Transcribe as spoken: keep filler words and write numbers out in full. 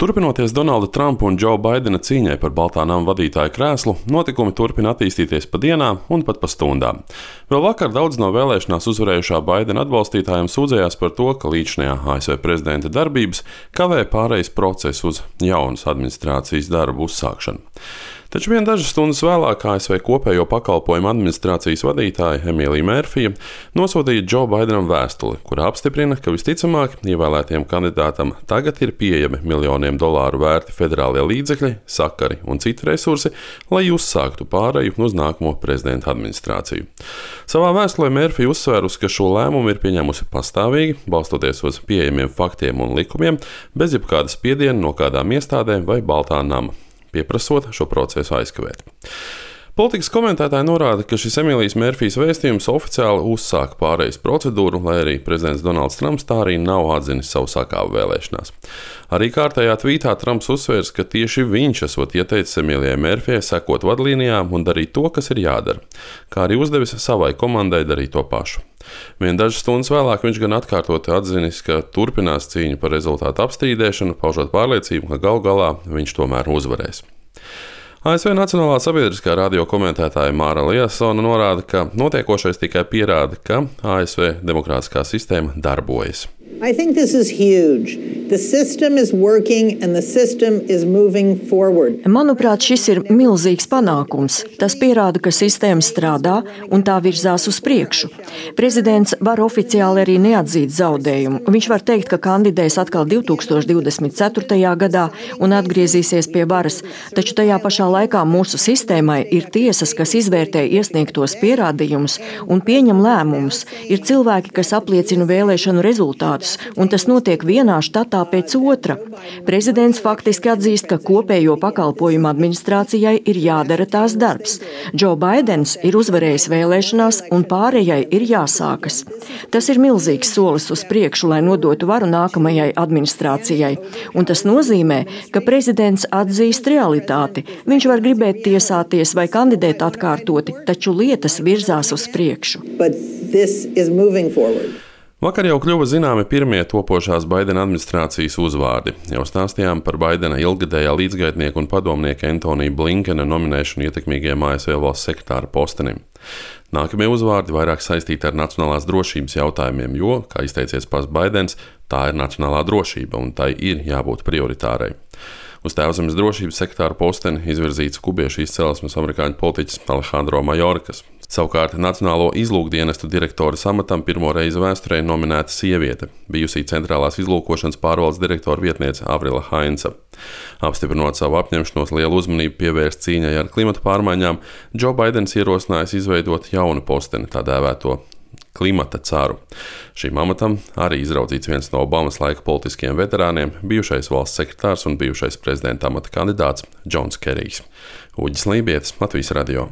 Turpinoties Donalda Trumpa un Džo Baidena cīņai par Baltā nama vadītāja krēslu, notikumi turpina attīstīties pa dienām un pat pa stundām. Vēl vakar daudz no vēlēšanās uzvarējušā Baidena atbalstītājiem sūdzējās par to, ka līdzinājā A S V prezidenta darbības kavē pārejas procesu uz jaunas administrācijas darbu uzsākšanu. Taču vien dažas stundas vēlāk A S V kopējo pakalpojumu administrācijas vadītāja Emīlija Mērfija nosūtīja Džo Baidenam vēstuli, kurā apstiprina, ka visticamāk ievēlētiem kandidātam tagad ir pieejami miljoniem dolāru vērti federālie līdzekļi, sakari un citi resursi, lai uzsāktu pāreju uz nākamo prezidenta administrāciju. Savā vēstulē Mērfija uzsvērusi, ka šo lēmumu ir pieņēmusi pastāvīgi, balstoties uz pieejamiem faktiem un likumiem, bez jebkāda spiediena no kādām iestādēm vai Baltā nama, pieprasot šo procesu aizkavēt. Politikas komentētāji norāda, ka šis Emīlijas Mērfijas vēstījums oficiāli uzsāka pārejas procedūru, lai arī prezidents Donalds Trumps tā arī nav atzinis savu sakāvu vēlēšanās. Arī kārtējā tvītā Trumps uzsvērs, ka tieši viņš esot ieteicis Emīlijai Mērfijai sekot vadlīnijām un darīt to, kas ir jādara, kā arī uzdevis savai komandai darīt to pašu. Vien dažas stundas vēlāk viņš gan atkārtoti atzinis, ka turpinās cīņu par rezultātu apstrīdēšanu, paužot pārliecību, ka galu galā viņš tomēr uzvarēs. A S V Nacionālā sabiedriskā radio komentētāja Māra Liasona norāda, ka notiekošais tikai pierāda, ka A S V demokrātiskā sistēma darbojas. I think this is huge. The system is working and the system is moving forward. Manuprāt, šis ir milzīgs panākums. Tas pierāda, ka sistēma strādā un tā virzās uz priekšu. Prezidents var oficiāli arī neatzīt zaudējumu. Viņš var teikt, ka kandidēs atkal divi tūkstoši divdesmit ceturtajā gadā un atgriezīsies pie varas, taču tajā pašā laikā mūsu sistēmai ir tiesas, kas izvērtē iesniegtos pierādījumus un pieņem lēmumus. Ir cilvēki, kas apliecina vēlēšanu rezultātus, un tas notiek vienā štatā pēc otra. Prezidents faktiski atzīst, ka kopējo pakalpojumu administrācijai ir jādara tās darbs. Džo Baidens ir uzvarējis vēlēšanās, un pārējai ir jāsākas. Tas ir milzīgs solis uz priekšu, lai nodotu varu nākamajai administrācijai. Un tas nozīmē, ka prezidents atzīst realitāti. Viņš var gribēt tiesāties vai kandidēt atkārtoti, taču lietas virzās uz priekšu. Vakar jau kļuva zināmi pirmie topošās Baidena administrācijas uzvārdi. Jau stāstījām par Baidena ilggadējā līdzgaitnieka un padomnieka Antonija Blinkena nominēšanu ietekmīgajam A S V valsts sekretāra postenim. Nākamie uzvārdi vairāk saistīti ar nacionālās drošības jautājumiem, jo, kā izteicies pats Baidens, tā ir nacionālā drošība un tai ir jābūt prioritārai. Uz Tēvzemes drošības sekretāra posteni izvirzīts kubiešu izcelsmes amerikāņu politiķis Alejandro Mayorkas. Savukārt Nacionālo izlūkdienestu direktora amatam pirmo reizi vēsturē nominēta sieviete, bijusī centrālās izlūkošanas pārvaldes direktora vietniece Avrila Hainsa. Apstiprinot savu apņemšanos lielu uzmanību pievērst cīņai ar klimata pārmaiņām, Džo Baidens ierosinājis izveidot jaunu posteni, tā dēvēto klimata caru. Šīm amatam arī izraudzīts viens no Obamas laika politiskiem veterāniem, bijušais valsts sekretārs un bijušais prezidenta amata kandidāts Džons Kerijs. Uģis Lībietis, Latvijas radio.